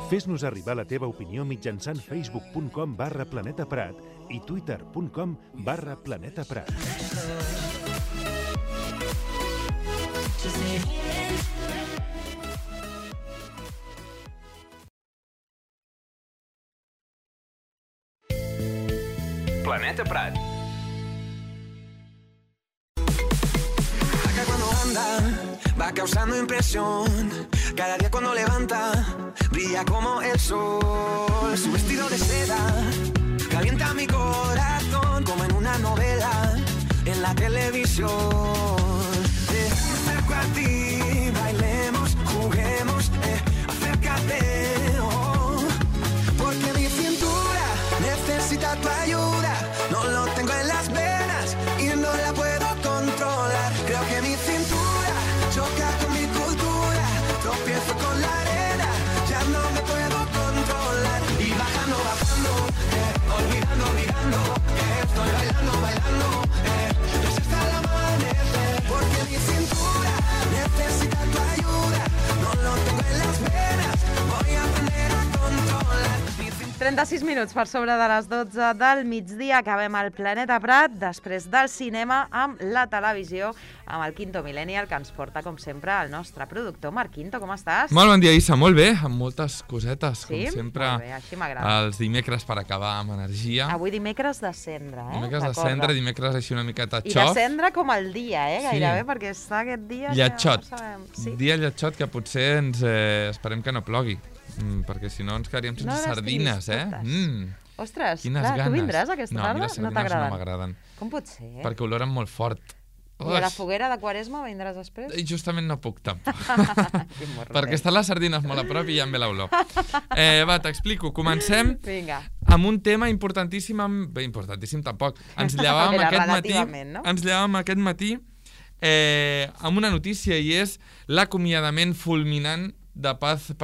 Fes-nos arribar la teva opinió mitjançant facebook.com/planetaprat i twitter.com/planetaprat. Planeta Prat. Acá cuando anda, va causando impresión. Cada día cuando levanta, brilla como el sol. Su vestido de seda calienta mi corazón, como en una novela en la televisión. Me acerco a ti, bailemos, juguemos, acércate, oh, porque mi cintura necesita tu ayuda. No lo tengo en las venas y no la puedo controlar. Creo que mi cintura choca con mi cultura. Tropiezo con la arena, ya no me puedo controlar. Y bajando, bajando, olvidando, olvidando, estoy bailando, bailando, pues hasta el amanecer. Porque mi cintura necesita tu ayuda. No lo tengo en las venas, voy a aprender a controlar. 36 minuts per sobre de les 12 del migdia. Acabem el Planeta Prat després del cinema amb la televisió, amb el Quinto Millennial, que ens porta, com sempre, el nostre productor. Marc Quinto, com estàs? Molt bon dia, Issa. Molt bé, amb moltes cosetes, sí? Com sempre. Molt bé, així m'agrada. Els dimecres per acabar amb energia. Avui dimecres de cendra, Dimecres de cendra, dimecres així una miqueta xof. I de cendra com el dia, gairebé, perquè està aquest dia... Lletxot. Que no sabem. Sí. Dia lletxot, que potser ens esperem que no plogui. Perquè si no ens quedaríem sense sardines, Ostres, quines clar, ganes. Tu vindràs aquesta tarda? No, les sardines no m'agraden. Com pot ser? Perquè oloren molt fort. I a la foguera de Quaresma vindràs després? Justament no puc, tampoc. Perquè estan les sardines molt a prop i ja em ve l'olor. Va, t'explico. Comencem amb un tema importantíssim. Bé, importantíssim tampoc. Ens llevàvem aquest matí amb una notícia, i és l'acomiadament fulminant de Paz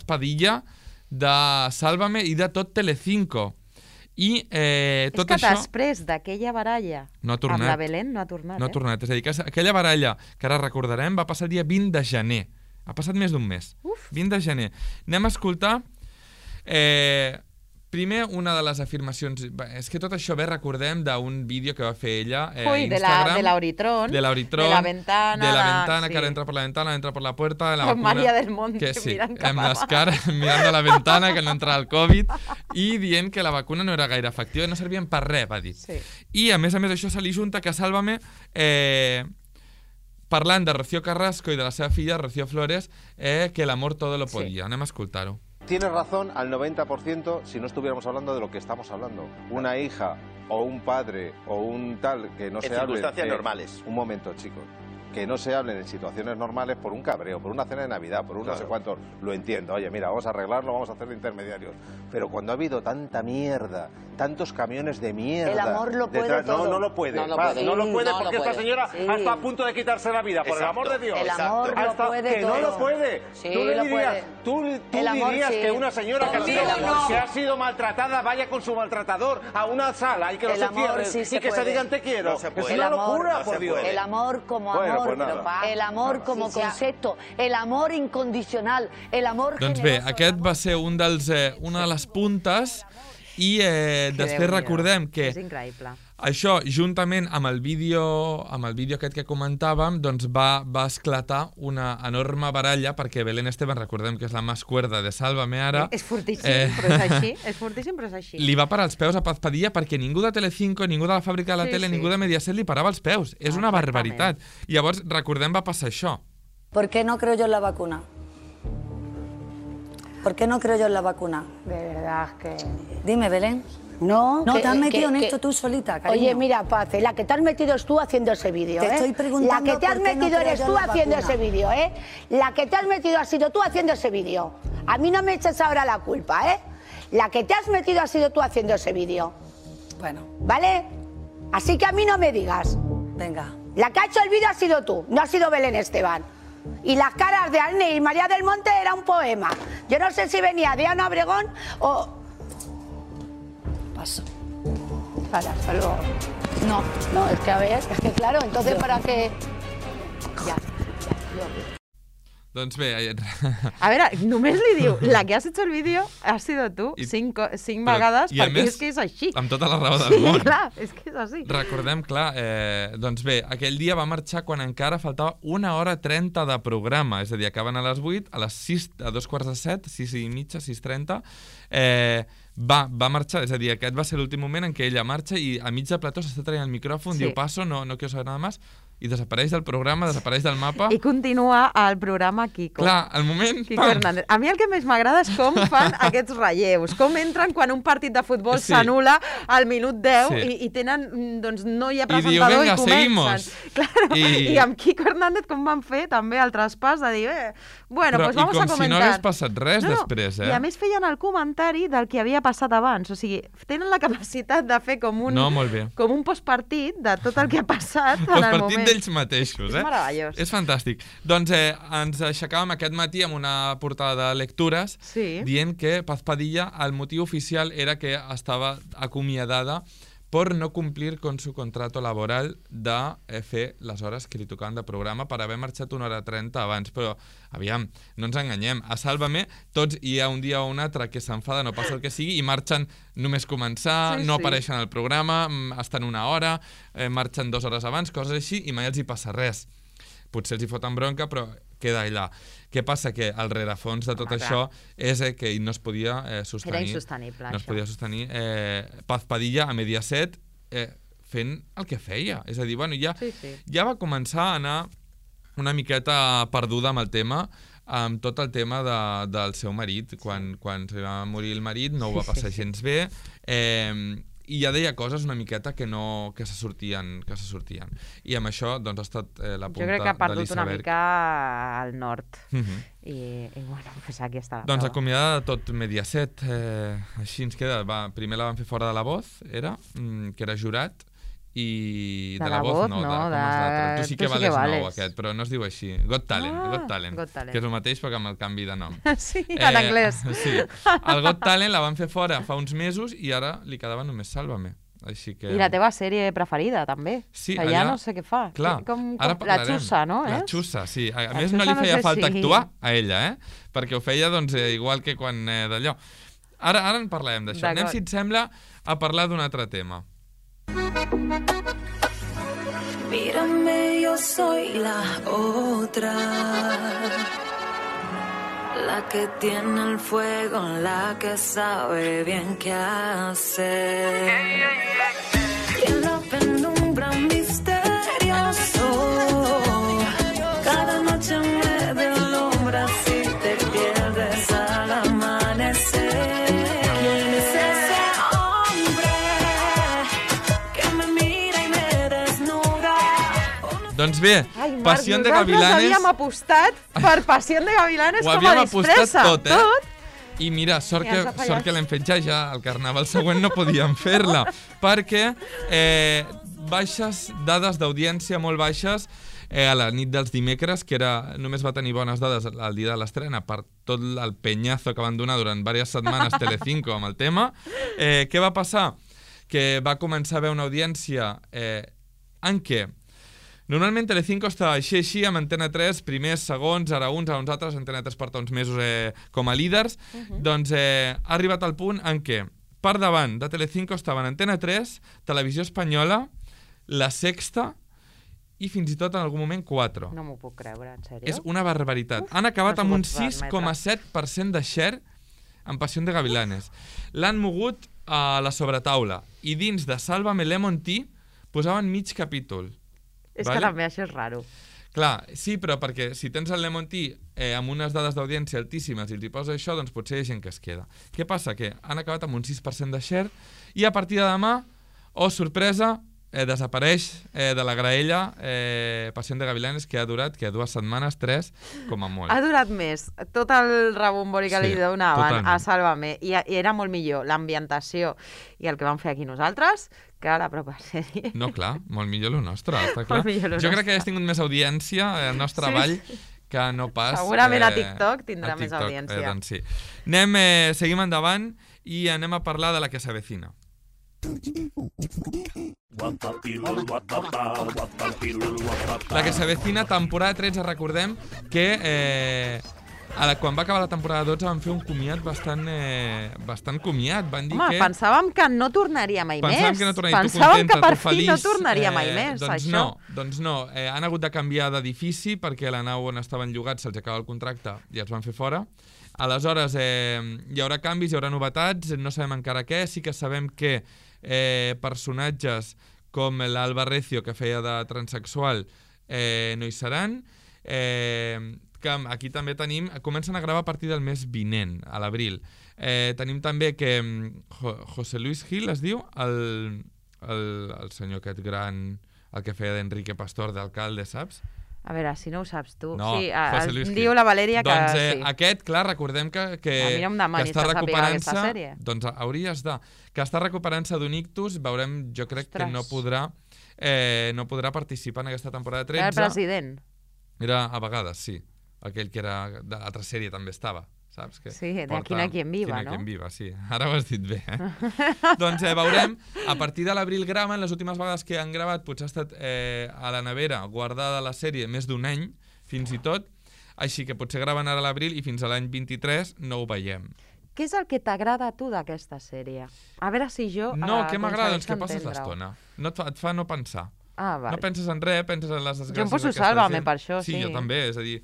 Padilla, de Sálvame i de tot Telecinco. I tot això... És que després d'aquella baralla amb la Belén no ha tornat. No ha tornat. És a dir, que aquella baralla, que ara recordarem, va passar el dia 20 de gener. Ha passat més d'un mes. 20 de gener. Anem a escoltar... Primer, una de les afirmacions... És que tot això recordem d'un vídeo que va fer ella a Instagram. De l'Auritron. De l'Auritron. De la ventana. Que ara entra per la ventana, entra per la puerta. Con María del Monte mirant cap amb les cares mirant a la ventana, que no entra el Covid, i dient que la vacuna no era gaire efectiva i no servien per res, va dir. I, a més, això se li junta que Sálvame... parlant de Rocío Carrasco i de la seva filla, Rocío Flores, que el amor todo lo podía. Anem a escoltar-ho. Tienes razón al 90% si no estuviéramos hablando de lo que estamos hablando. Una hija o un padre o un tal que no se hable... En circunstancias normales. Un momento, chicos. Que no se hablen en situaciones normales por un cabreo, por una cena de Navidad, por un no sé cuántos. Lo entiendo. Oye, mira, vamos a arreglarlo, vamos a hacer de intermediarios. Pero cuando ha habido tanta mierda, tantos camiones de mierda... El amor lo puede todo. No lo puede. No lo puede porque esta señora está a punto de quitarse la vida. Por el amor de Dios. El amor lo puede todo. No lo puede. Sí, Tú lo dirías, puede. tú dirías que una señora que ha sido maltratada vaya con su maltratador a una sala y que no se cierre y que se digan te quiero. Es una locura, por Dios. El amor como amor. El amor como concepto, el amor incondicional, el amor generoso. Doncs bé, aquest va ser una de les puntes i després recordem que això, juntament amb el vídeo aquest que comentàvem, doncs va esclatar una enorme baralla perquè Belén Esteban, recordem que és la més cuerda de Sálvame ara. És fortíssim, però és així. És fortíssim, però és així. Li va parar els peus a Paz Padilla perquè ningú de Telecinco, ningú de la fàbrica de la tele, ningú de Mediaset li parava els peus. És una barbaritat. Llavors, recordem, va passar això. ¿Por qué no creo yo en la vacuna? ¿Por qué no creo yo en la vacuna? De verdad que... Dime, Belén. No, te has metido en esto tú solita, cariño. Oye, mira, Paz, la que te has metido es tú haciendo ese vídeo, Te estoy preguntando la que te has metido eres tú haciendo ese vídeo, La que te has metido ha sido tú haciendo ese vídeo. A mí no me eches ahora la culpa, La que te has metido ha sido tú haciendo ese vídeo. Bueno. ¿Vale? Así que a mí no me digas. Venga. La que ha hecho el vídeo ha sido tú, no ha sido Belén Esteban. Y las caras de Arne y María del Monte era un poema. Yo no sé si venía de Ana Obregón o... Paso. Para, hasta luego. No, es que a ver, es que claro, entonces para qué... Ya. Doncs bé... A veure, només li diu, la que has hecho el vídeo has sido tu, 5 vegades, perquè és que és així. Amb tota la raó del món. Sí, clar, és que és així. Recordem, clar, doncs bé, aquell dia va marxar quan encara faltava 1h30 de programa, és a dir, acaben a les 8, a les 6, a 2:45, 6:30, 6:30, va marxar, és a dir, aquest va ser l'últim moment en què ella marxa i a mig de plató s'està traient el micròfon, diu paso, no quiero saber nada más, i desapareix del programa, desapareix del mapa. I continua el programa Kiko. Clar, al moment... Kiko Hernández. A mi el que més m'agrada és com fan aquests relleus, com entren quan un partit de futbol s'anula al minut 10 i tenen, doncs no hi ha presentador i comencen. Claro. I amb Kiko Hernández com van fer també el traspàs de dir, bueno, pues vamos a comentar. I com si no hagués passat res després, I a més feien el comentari del que havia passat abans, o sigui, tenen la capacitat de fer com un postpartit de tot el que ha passat en el moment. D'ells mateixos, És meravellós. És fantàstic. Doncs ens aixecàvem aquest matí amb una portada de lectures dient que Paz Padilla, el motiu oficial era que estava acomiadada por no cumplir con su contrato laboral de fer les hores que li tocaven de programa per haver marxat 1h30 abans. Però, aviam, no ens enganyem. A Sálvame, tots hi ha un dia o un altre que s'enfada, no passa el que sigui, i marxen només començar, no apareixen al programa, estan una hora, marxen 2 hores abans, coses així, i mai els hi passa res. Potser els hi foten bronca, però queda allà. Què passa? Que el rerefons de tot això és que no es podia sostenir. Era insostenible, no es podia sostenir Paz Padilla a Mediaset fent el que feia. És a dir, bueno, ja va començar a anar una miqueta perduda amb el tema, amb tot el tema del seu marit. Quan se va morir el marit no ho va passar gens bé, i ja deia coses una miqueta que se sortien. I amb això doncs, ha estat la punta de l'iceberg. Jo crec que ha perdut una mica al nord. I bueno, pues aquí està la prova. Doncs acomiadada de tot Mediaset, així ens queda. Primer la van fer fora de La Voz, que era jurat, i de La Voz no, tu sí que vales nou aquest, però no es diu així. Got Talent, que és el mateix però amb el canvi de nom. Sí, en anglès. Sí, el Got Talent la van fer fora fa uns mesos i ara li quedava només Sálvame. I la teva sèrie preferida, també. Sí, que ja no sé què fa. Clar, ara parlarem. La Xussa, no? La Xussa, sí. A més, no li feia falta actuar a ella, perquè ho feia igual que quan d'allò. Ara en parlarem d'això. Anem, si et sembla, a parlar d'un altre tema. Mírame, yo soy la otra, la que tiene el fuego, la que sabe bien qué hacer. Quien la penumbra misterioso, cada noche me deslumbra si te pierdes al amanecer. ¿Quién es ese hombre que me mira y me desnuda? Doncs bé, Pasión de Gavilanes... Nosaltres havíem apostat per Pasión de Gavilanes com a disfressa. Ho havíem apostat tot, I mira, sort que l'hem fet ja al Carnaval següent no podíem fer-la, perquè baixes dades d'audiència molt baixes a la nit dels dimecres, que només va tenir bones dades el dia de l'estrena per tot el penyazo que van donar durant diverses setmanes Telecinco amb el tema. Què va passar? Que va començar a haver una audiència en què normalment Telecinco estava així amb Antena 3, primers, segons, ara uns altres, Antena 3 porta uns mesos com a líders, doncs ha arribat al punt en què per davant de Telecinco estaven Antena 3, Televisió Espanyola, La Sexta i fins i tot en algun moment 4. No m'ho puc creure, en sèrio? És una barbaritat. Han acabat amb un 6,7% de share en Pasión de Gavilanes. L'han mogut a la sobretaula i dins de Sálvame Lemon Tea posaven mig capítol. És que també això és raro. Clar, sí, però perquè si tens el Lemon Tea amb unes dades d'audiència altíssimes i els hi posa això, doncs potser hi ha gent que es queda. Què passa? Que han acabat amb un 6% de share i a partir de demà, sorpresa, desapareix de la graella Pasión de Gavilanes, que ha durat 2 setmanes, 3, com a molt. Ha durat més. Tot el rebombori que li donaven a Sálvame i era molt millor l'ambientació i el que vam fer aquí nosaltres que la pròpia sèrie. No, clar, molt millor el nostre, està clar. Jo crec que hagués tingut més audiència el nostre ball que no pas... Segurament a TikTok tindrà més audiència. Doncs sí. Seguim endavant i anem a parlar de La que s'avecina. La que s'avecina, temporada 13, recordem que quan va acabar la temporada 12 van fer un comiat bastant comiat. Van dir que... pensàvem que no tornaria mai més. Pensàvem que no tornaria, tu pensàvem contenta, que per tu fi feliç. no tornaria mai més, això. Doncs no. Han hagut de canviar d'edifici perquè la nau on estaven llogats se'ls acaba el contracte i els van fer fora. Aleshores, hi haurà canvis, hi haurà novetats, no sabem encara què. Sí que sabem que personatges com l'Alba Recio, que feia de transexual, no hi seran. Que aquí també tenim... Comencen a gravar a partir del mes vinent, a l'abril. Tenim també que José Luis Gil, es diu, el senyor aquest gran, el que feia d'Enrique Pastor, d'alcalde, saps? A veure, si no ho saps tu. No, sí, José Luis Gil. Diu la Valèria que doncs, sí. Aquest, clar, recordem que mira un demoni, està recuperant-se... aquesta sèrie. Doncs hauries de... Que està recuperant-se d'un ictus, veurem, jo crec que no podrà participar en aquesta temporada 13. Era el president. Era a vegades, sí. Aquell que era d'altra sèrie també estava, saps? Que sí, de Quina quien viva, no? Quien viva, sí. Ara ho has dit bé, Doncs veurem, a partir de l'abril graven, les últimes vegades que han gravat potser ha estat a la nevera guardada la sèrie més d'un any, fins i tot, així que potser graven ara a l'abril i fins a l'any 23 no ho veiem. Què és el que t'agrada a tu d'aquesta sèrie? A veure si jo... No, què m'agrada? Doncs que passes l'estona. Et fa no pensar. Vale. No penses en res, penses en les desgràcies jo em poso Sálvame per això, sí. Sí, jo també, és a dir,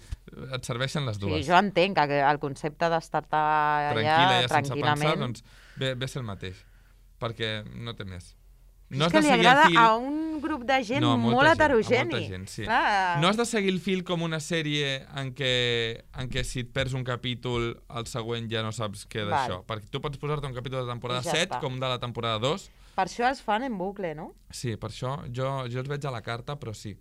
et serveixen les dues. Sí, jo entenc que el concepte d'estar-te allà tranquil·lament... Sense pensar, doncs ve ser el mateix, perquè no té més. No és que li agrada a un grup de gent molt heterogeni. Molta gent, sí. No has de seguir el fil com una sèrie en què si et perds un capítol, el següent ja no saps què d'això. Perquè tu pots posar-te un capítol de temporada 7 com de la temporada 2. Per això els fan en bucle, no? Sí, per això jo els veig a la carta, però sí.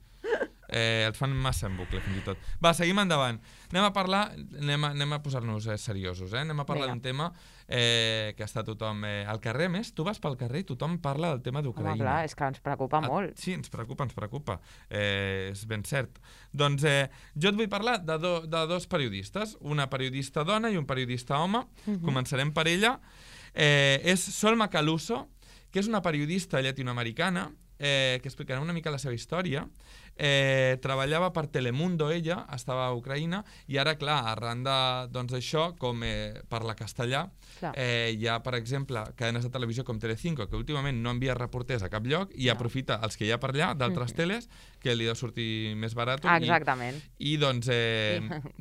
Et fan massa en bucle, fins i tot. Va, seguim endavant. Anem a posar-nos seriosos, Anem a parlar d'un tema que està tothom al carrer. Més, tu vas pel carrer i tothom parla del tema d'Ucraïna. Home, clar, és que ens preocupa molt. Sí, ens preocupa. És ben cert. Doncs jo et vull parlar de dos periodistes, una periodista dona i un periodista home. Començarem per ella. És Sol Macaluso, que és una periodista llatinoamericana que explicarà una mica la seva història. Treballava per Telemundo, ella, estava a Ucraïna, i ara, clar, arran d'això, com parla castellà, hi ha, per exemple, cadenes de televisió com Telecinco, que últimament no envia reporters a cap lloc i aprofita els que hi ha per allà, d'altres teles, que li deu sortir més barat. Exactament. I doncs,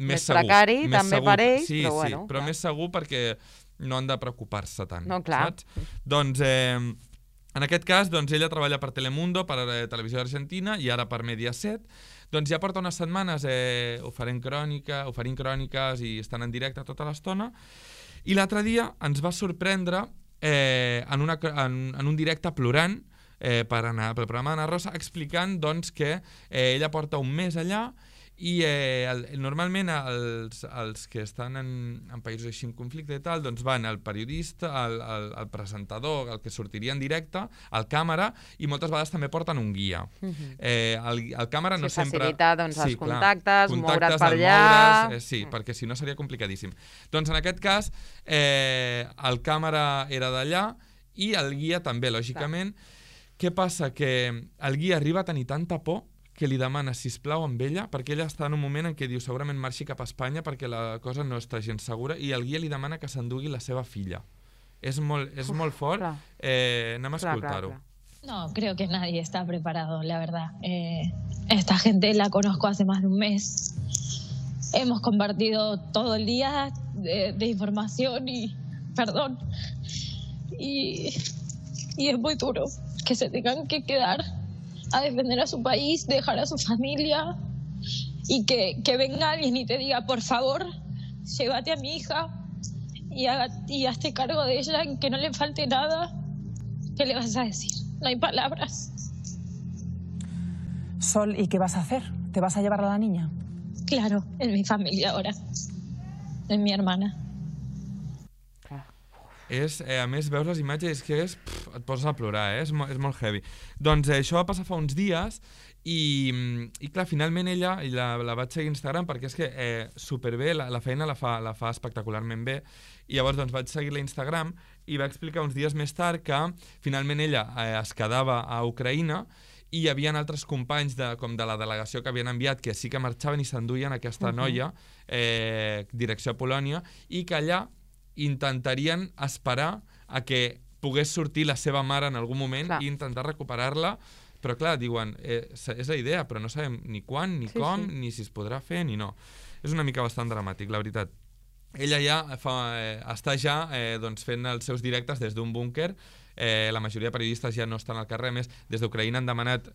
més precari, també per ells, però bueno. Sí, però més segur perquè no han de preocupar-se tant. No, clar. Saps? Doncs, en aquest cas, ella treballa per Telemundo, per Televisió d'Argentina i ara per Mediaset. Doncs ja porta unes setmanes oferint cròniques i estan en directe tota l'estona. I l'altre dia ens va sorprendre en un directe plorant pel programa d'Anna Rosa, explicant que ella porta un mes allà i normalment els que estan en països així en conflicte i tal, doncs van el periodista, el presentador, el que sortiria en directe, el càmera, i moltes vegades també porten un guia. El càmera no sempre... Facilitar els contactes, moure's per allà... Sí, perquè si no seria complicadíssim. Doncs en aquest cas, el càmera era d'allà i el guia també, lògicament. Què passa? Que el guia arriba a tenir tanta por que li demana, sisplau, amb ella, perquè ella està en un moment en què diu segurament marxi cap a Espanya perquè la cosa no està gens segura, i el guia li demana que s'endugui la seva filla. És molt fort. Anem a escoltar-ho. No, creo que nadie está preparado, la verdad. Esta gente la conozco hace más de un mes. Hemos compartido todo el día de información y perdón. Y es muy duro que se tengan que quedar a defender a su país, dejar a su familia y que venga alguien y te diga, por favor, llévate a mi hija y hazte cargo de ella, que no le falte nada. ¿Qué le vas a decir? No hay palabras. Sol, ¿y qué vas a hacer? ¿Te vas a llevar a la niña? Claro, es mi familia ahora. Es mi hermana. a més, veus les imatges i et poses a plorar, és molt heavy. Doncs això va passar fa uns dies i clar, finalment ella la vaig seguir a Instagram perquè és que superbé, la feina la fa espectacularment bé, i llavors doncs vaig seguir-la a Instagram i va explicar uns dies més tard que finalment ella es quedava a Ucraïna i hi havia altres companys com de la delegació que havien enviat que sí que marxaven i s'enduien aquesta noia direcció a Polònia, i que allà intentarien esperar a que pogués sortir la seva mare en algun moment i intentar recuperar-la, però clar, diuen, és la idea, però no sabem ni quan, ni com, ni si es podrà fer, ni no. És una mica bastant dramàtic, la veritat. Ella ja està fent els seus directes des d'un búnquer, la majoria de periodistes ja no estan al carrer, a més, des d'Ucraïna han demanat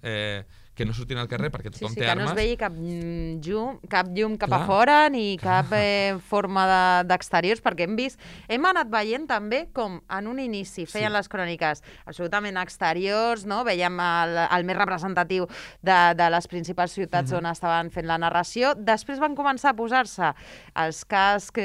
que no surtin al carrer perquè tothom té armes. Que no es vegi cap llum cap a fora ni cap forma d'exteriors, perquè hem anat veient també com en un inici feien les cròniques absolutament exteriors, no? Veiem el més representatiu de les principals ciutats on estaven fent la narració, després van començar a posar-se els cascs,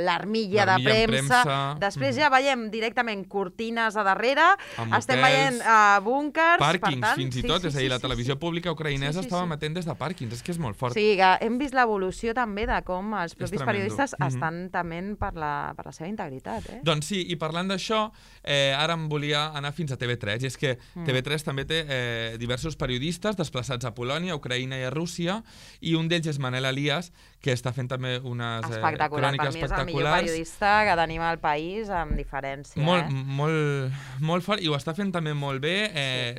l'armilla de premsa, després ja veiem directament cortines a darrere, estem veient búnkers, pàrquings fins i tot, és a dir, la televisió pública ucraïnesa estava emetent des de pàrquings, és que és molt fort. Sí, hem vist l'evolució també de com els propis periodistes estan tement per la seva integritat. Doncs sí, i parlant d'això, ara em volia anar fins a TV3, i és que TV3 també té diversos periodistes desplaçats a Polònia, a Ucraïna i a Rússia, i un d'ells és Manel Elias, que està fent també unes cròniques espectaculars. Per mi és el millor periodista que tenim al país, amb diferència. Molt fort, i ho està fent també molt bé,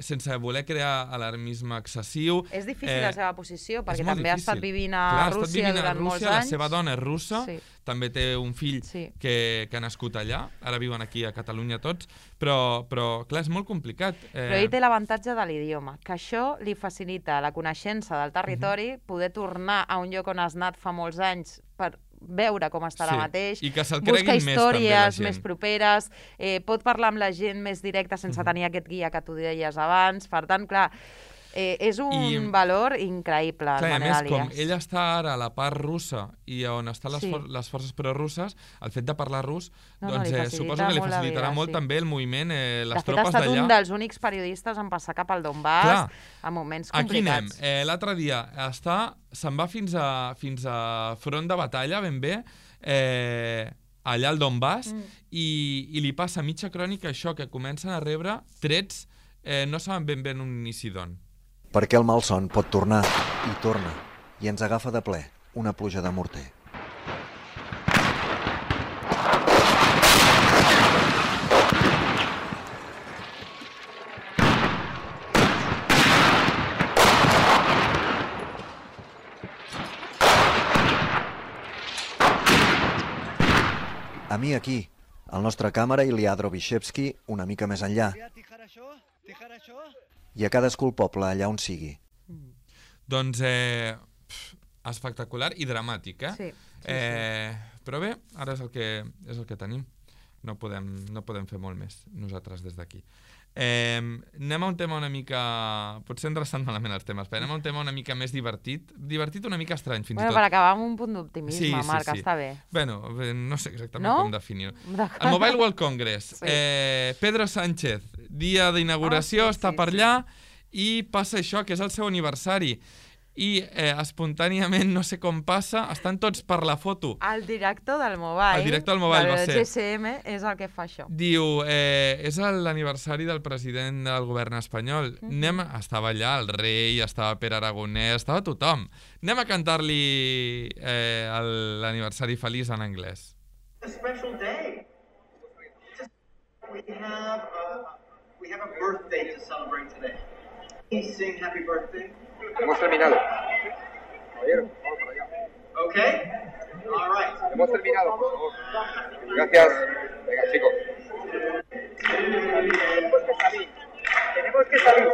sense voler crear alarmisme excessiu. És difícil la seva posició, perquè també ha estat vivint a Rússia durant molts anys. La seva dona és russa, també té un fill que ha nascut allà, ara viuen aquí a Catalunya tots, però clar, és molt complicat. Però ell té l'avantatge de l'idioma, que això li facilita la coneixença del territori, poder tornar a un lloc on has anat fa molts anys per veure com està ara mateix, i que se'l creguin més també la gent. Busca històries més properes, pot parlar amb la gent més directa sense tenir aquest guia que tu deies abans, per tant, clar, és un valor increïble. Clar, a més, com ella està ara a la part russa i on estan les forces prorusses, el fet de parlar rus, doncs suposo que li facilitarà molt també el moviment, les tropes d'allà. De fet, ha estat un dels únics periodistes en passar cap al Donbass en moments complicats. Aquí anem. L'altre dia se'n va fins a front de batalla, ben bé, allà al Donbass, i li passa mitja crònica això, que comencen a rebre trets, no saben ben bé en un inici d'on. Perquè el malson pot tornar, i torna, i ens agafa de ple una pluja de morter. A mi aquí, el nostre càmera Ilya Drobyshevsky una mica més enllà, i a cadascú el poble allà on sigui. Doncs espectacular i dramàtic, Sí. Però bé, ara és el que tenim. No podem fer molt més nosaltres des d'aquí. Anem a un tema una mica... Potser ens resten malament els temes, però anem a un tema una mica més divertit. Divertit una mica estrany, fins i tot. Per acabar amb un punt d'optimisme, Marc, està bé. Bueno, no sé exactament com definir-ho. El Mobile World Congress. Pedro Sánchez, dia d'inauguració, està per allà i passa això, que és el seu aniversari. I espontàniament, no sé com passa, estan tots per la foto. El director del Mobile, va ser. El GSM, és el que fa això. Diu, és l'aniversari del president del govern espanyol. Estava allà el rei, estava Pere Aragonès, estava tothom. Anem a cantar-li l'aniversari feliç en anglès. A special day. We have a birthday to celebrate today. Please sing happy birthday. Hemos terminado. Caballero, vamos para allá. Okay. All right. Hemos terminado, por favor. Gracias. Venga, chicos. Tenemos que salir. Tenemos que salir.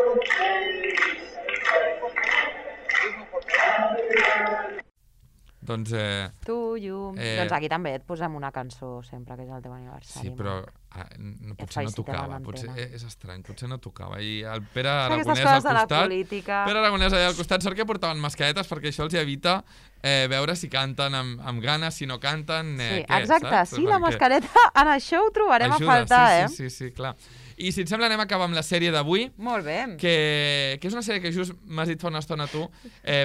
Doncs... Tu, llum... Doncs aquí també et posem una cançó sempre, que és el teu aniversari. Sí, però potser no tocava, potser és estrany, potser no tocava. I el Pere Aragonès al costat... Pere Aragonès allà al costat, sort que portaven mascaretes perquè això els evita veure si canten amb ganes, si no canten... Sí, exacte, sí, la mascareta en això ho trobarem a faltar, eh? Sí, clar. I si et sembla anem a acabar amb la sèrie d'avui. Molt bé. Que és una sèrie que just m'has dit fa una estona tu,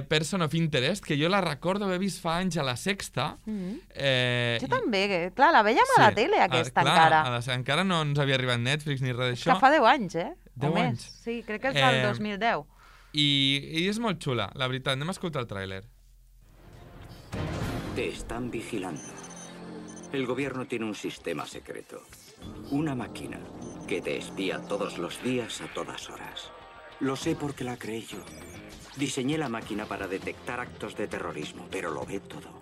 Person of Interest, que jo la recordo haver vist fa anys a la Sexta. Jo també, clar, la veiem a la tele aquesta encara. Encara no ens havia arribat Netflix ni res d'això. Que fa 10 anys, eh? 10 anys. Sí, crec que és del 2010. I és molt xula, la veritat. Anem a escoltar el tràiler. Te están vigilando. El gobierno tiene un sistema secreto. Una máquina que te espía todos los días a todas horas. Lo sé porque la creé yo. Diseñé la máquina para detectar actos de terrorismo, pero lo ve todo.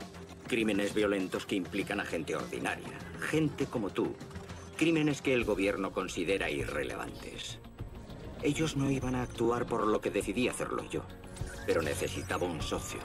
Crímenes violentos que implican a gente ordinaria, gente como tú. Crímenes que el gobierno considera irrelevantes. Ellos no iban a actuar por lo que decidí hacerlo yo, pero necesitaba un socio.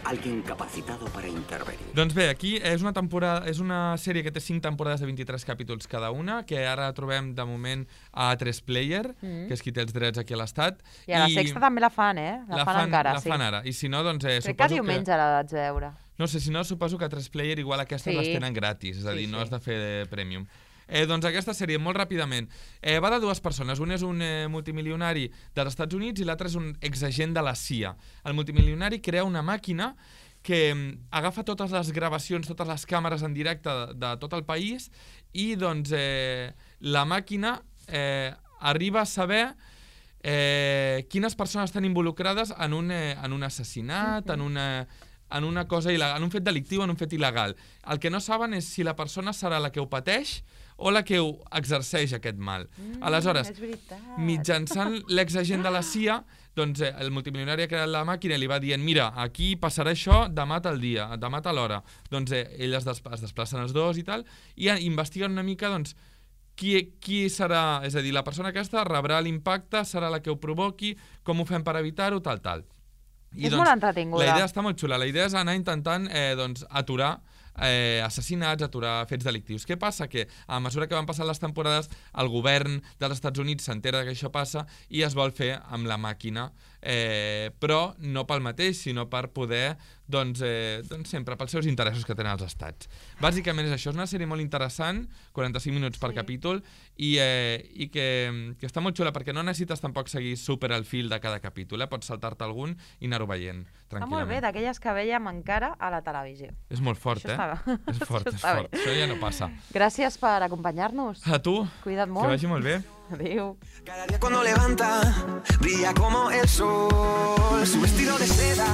Alguien capacitado para intervenir. Doncs bé, aquí és una sèrie que té 5 temporades de 23 capítols cada una, que ara trobem de moment a 3 Player, que és qui té els drets aquí a l'Estat. I a la Sexta també la fan, eh? La fan encara, sí. La fan ara. I si no, doncs crec que diumenge la vaig veure. No sé, si no, suposo que a 3 Player igual aquestes les tenen gratis, és a dir, no has de fer premium. Doncs aquesta sèrie, molt ràpidament, va de 2 persones. Un és un multimilionari dels Estats Units i l'altre és un exagent de la CIA. El multimilionari crea una màquina que agafa totes les gravacions, totes les càmeres en directe de tot el país i doncs la màquina arriba a saber quines persones estan involucrades en un assassinat, en una cosa il·legal, en un fet delictiu, en un fet il·legal. El que no saben és si la persona serà la que ho pateix o la que ho exerceix aquest mal. Aleshores, mitjançant l'exagent de la CIA, doncs el multimilionari ha creat la màquina i li va dient mira, aquí passarà això demà tal dia, demà tal hora. Doncs ell es desplacen els dos i tal, i investiguen una mica doncs, qui serà, és a dir, la persona aquesta rebrà l'impacte, serà la que ho provoqui, com ho fem per evitar-ho, tal. És molt entretinguda. La idea està molt xula. La idea és anar intentant aturar assassinats, aturar fets delictius. Què passa? Que a mesura que van passant les temporades el govern dels Estats Units s'entera que això passa i es vol fer amb la màquina, però no pel mateix, sinó per poder sempre pels seus interessos que tenen els estats. Bàsicament és això, és una sèrie molt interessant, 45 minuts per capítol, i que està molt xula perquè no necessites tampoc seguir super al fil de cada capítol, pots saltar-te algun i anar-ho veient tranquil·lament. Està molt bé, d'aquelles que veiem encara a la televisió. És molt fort, És fort. Això ja no passa. Gràcies per acompanyar-nos. A tu. Cuida't molt. Que vagi molt bé. Adiós. Cada día cuando levanta, brilla como el sol. Su vestido de seda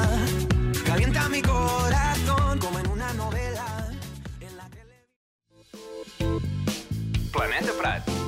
calienta mi corazón como en una novela. Planeta Prat.